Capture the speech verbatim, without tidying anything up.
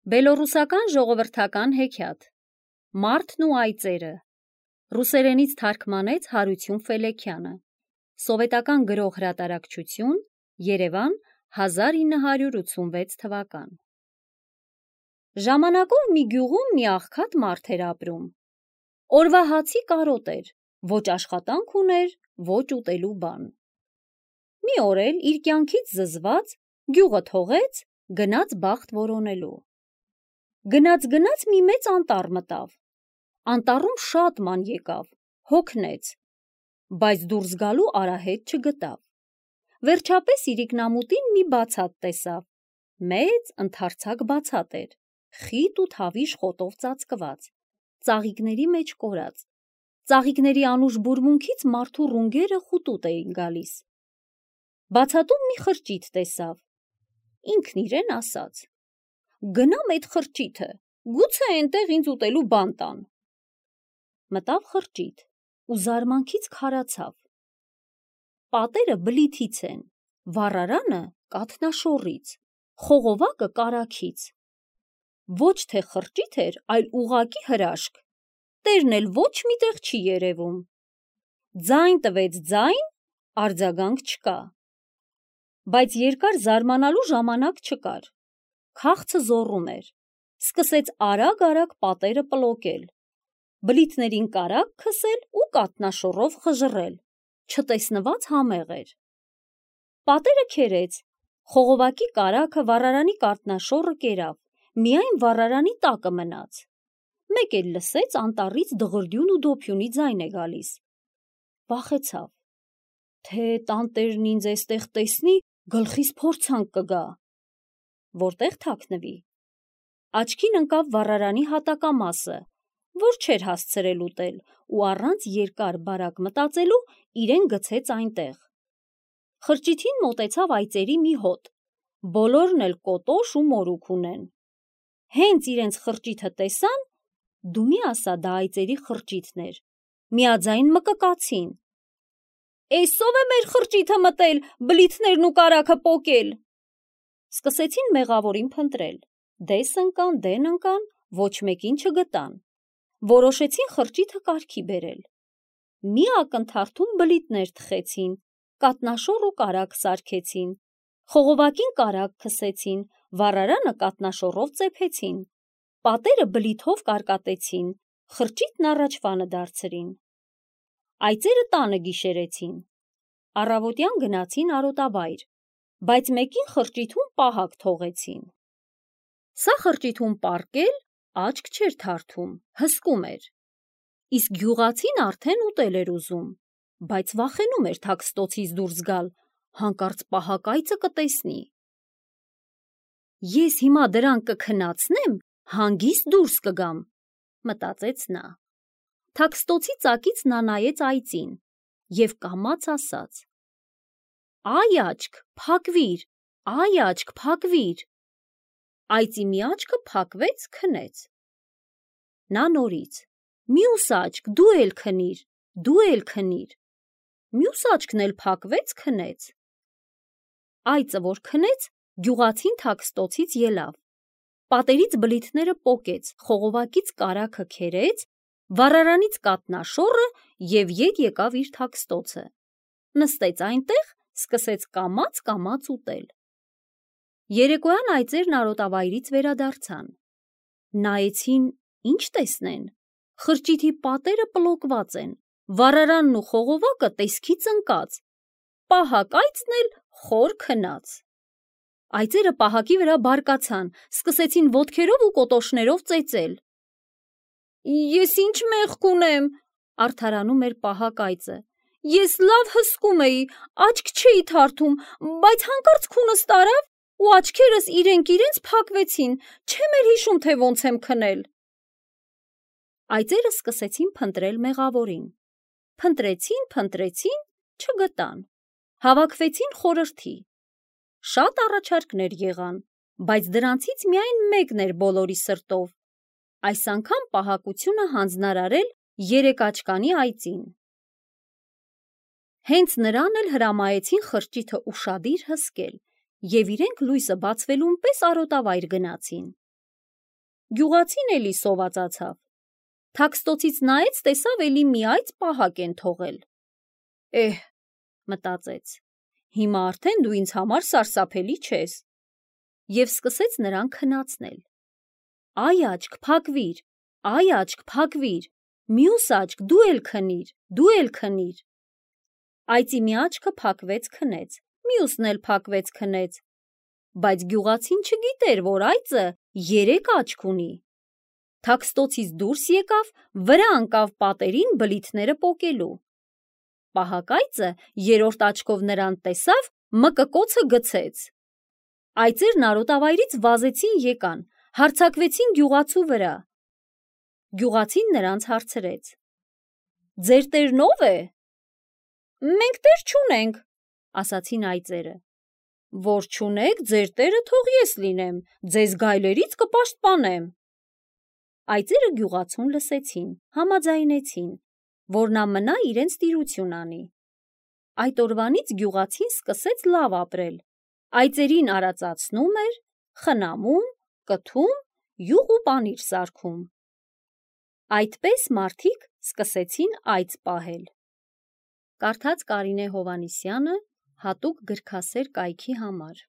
Բելոռուսական ժողովրդական հեքիաթ Մարդն ու այծերը ռուսերենից թարգմանեց Հարություն Ֆելեքյանը Սովետական գրող հրատարակչություն Երևան հազար ինը հարյուր ութսունվեց թվական Ժամանակով մի գյուղում մի աղքատ մարդ էր ապրում Օրվա հացի կարոտ էր ոչ աշխատանք ուներ ոչ ուտելու բան Մի օր էլ իր կյանքից զզված գյուղը թողեց գնաց բախտ որոնելու Գնաց գնաց մի մեծ անտառ մտավ Անտառում շատ ման եկավ հոգնեց բայց դուրս գալու արահետ չգտավ Վերջապես իրիկնամուտին մի բացատ տեսավ մեծ ընդարձակ բացատ էր խիտ ու թավիշ խոտով ծածկված ծաղիկների մեջ կորած ծաղիկների անուշ բուրմունքից մարդու ռունգերը խուտուտ էին գալիս Բացատում մի խրճիթ տեսավ ինքն իրեն ասաց Գնամ այդ խրճիթը, գուցե այնտեղ ինձ ուտելու բան տան Մտավ խրճիթ ու զարմանքից քարացավ Պատերը բլիթից են, վառարանը կաթնաշոռից, խողովակը կարագից Ոչ թե խրճիթ էր, այլ ուղղակի հրաշք Տերն էլ ոչ մի տեղ չի երևում Ձայն տվեց ձայն, արձագանք չկա Բայց երկար զարմանալու ժամանակ չկար Քաղցը զոռում էր, սկսեց արագ-արագ պատերը պլոկել, բլիթներին կարագ քսել ու կաթնաշոռով խժռել, չտեսնված համեղ էր։ Պատերը քերեց, խողովակի կարագը վառարանի կաթնաշոռը կերավ, միայն վառարանի տակը մնաց։ Մեկ էլ լսեց անտառից դղրդյուն ու դոփյունի ձայն է գալիս։ Վախեցավ, թե տանտերն ինձ էստեղ տեսնի, գլխիս փորձանք կգա։ Որտեղ թաքնվի։ Աչքին ընկավ վառարանի հատակամասը, որ չէր հասցրել ուտել ու առանց երկար բարակ մտածելու իրեն գցեց այնտեղ։ Խրճիթին մոտեցավ այծերի մի հոտ, բոլորն էլ կոտոշ ու մորուք ունեն։ Հենց իրենց խրճիթը տեսան, դու մի ասա դա այծերի խրճիթն էր, միաձայն մկկացին։ Էսով է մեր խրճիթը մտել, բլիթներն ու կարագը պոկել։ Սկսեցին մեղավորին փնտրել, դես ընկան, դեն ընկան, ոչ մեկին չգտան, որոշեցին խրճիթը կարգի բերել, մի ակնթարթում բլիթներ թխեցին, կաթնաշոռ ու կարագ սարքեցին, խողովակին կարագ քսեցին, վառարանը կաթնաշոռով ծեփեցին, պատերը բլիթով կարկատեցին, խրճիթն առաջվանը դարձրին, այծերը տանը գիշերեցին, առավոտյան գնացին արոտավայր, բայց մեկին խրճիթում պահակ թողեցին։ Սա խրճիթում պառկել աչք չէր թարթում, հսկում էր։ Իսկ գյուղացին արդեն ուտել էր ուզում, բայց վախենում էր թաքստոցից դուրս գալ, հանկարծ պահակ այծը կտեսնի։ Ես հիմա դրան կքնացնեմ, հանգիստ դուրս կգամ, մտածեց նա։ Թաքստոցի ծակից նա նայեց այծին և կամաց ասաց. Այ աչք, փակվիր, այ աչք, փակվիր։ Այծի մի աչքը փակվեց, քնեց։ Նա նորից. Մյուս աչք, դու էլ քնիր, դու էլ քնիր։ Մյուս աչքն էլ փակվեց, քնեց։ Այծը, որ քնեց, գյուղացին թաքստոցից ելավ։ Պատերից բլիթները պոկեց, խողովակից կարագը քերեց, վառարանից կաթնաշոռը և ետ եկավ իր թաքստոցը։ Նստեց այնտեղ, սկսեց կամաց-կամաց ուտել։ Երեկոյան այծերն արոտավայրից վերադարձան։ Նայեցին, ինչ տեսնեն։ Խրճիթի պատերը պլոկված են, վառարանն ու խողովակը տեսքից ընկած, պահակ այծն էլ խոր քնած։ Այծերը պահակի վրա բարկացան, սկսեցին ոտքերով ու կոտոշներով ծեծել։ Ես ինչ մեղք ունեմ, արդարանում էր պահակ այծը։ Ես լավ հսկում էի, աչք չէի թարթում, բայց հանկարծ քունս տարավ ու աչքերս իրենք իրենց փակվեցին, չեմ էլ հիշում, թե ոնց եմ քնել։ Այծերը սկսեցին փնտրել մեղավորին։ Փնտրեցին, փնտրեցին, չգտան։ Հավաքվեցին խորհրդի։ Շատ առաջարկներ եղան, բայց դրանցից միայն մեկն էր բոլորի սրտով։ Այս անգամ պահակությունը հանձնարարել երեկաչկանի այծին։ Հենց նրան էլ հրամայեցին խրճիթը ուշադիր հսկել և իրենք լույսը բացվելուն պես արոտավայր գնացին։ Գյուղացին էլի սովածացավ։ Թաքստոցից նայեց, տեսավ էլի մի այծ պահակ են թողել։ Էհ, մտածեց, հիմա արդեն դու ինձ համար սարսափելի չես։ Եվ սկսեց նրան քնացնել։ Այ աչք, փակվիր, այ աչք, փակվիր, մյուս աչք, դու էլ քնիր, դու էլ քնիր։ Այծի մի աչքը փակվեց, քնեց, մյուսն էլ փակվեց, քնեց, բայց գյուղացին չգիտեր, որ այծը երեք աչք ունի։ Թաքստոցից դուրս եկավ, վրա ընկավ պատերին բլիթները պոկելու։ Պահակ այծը երրորդ աչքով նրան տեսավ, մկկոցը գցեց։ Այծերն արոտավայրից վազեցին եկան, հարձակվեցին գյուղացու վրա։ Գյուղացին նրանց հարցրեց. Ձեր տերն ով է։ Մենք տեր չունենք, ասացին այծերը։ Որ չունեք, ձեր տերը թող ես լինեմ, ձեզ գայլերից կպաշտպանեմ։ Այծերը գյուղացուն լսեցին, համաձայնեցին, որ նա մնա իրենց տիրություն անի։ Այդ օրվանից գյուղացին սկսեց լավ ապրել, այծերին արածացնում էր, խնամում, կթում, յուղ ու պանիր սարքում։ Այդպես մարդիկ սկսեցին այծ պահել։ Կարդաց Կարինե Հովհաննիսյանը հատուկ գրքասեր կայքի համար։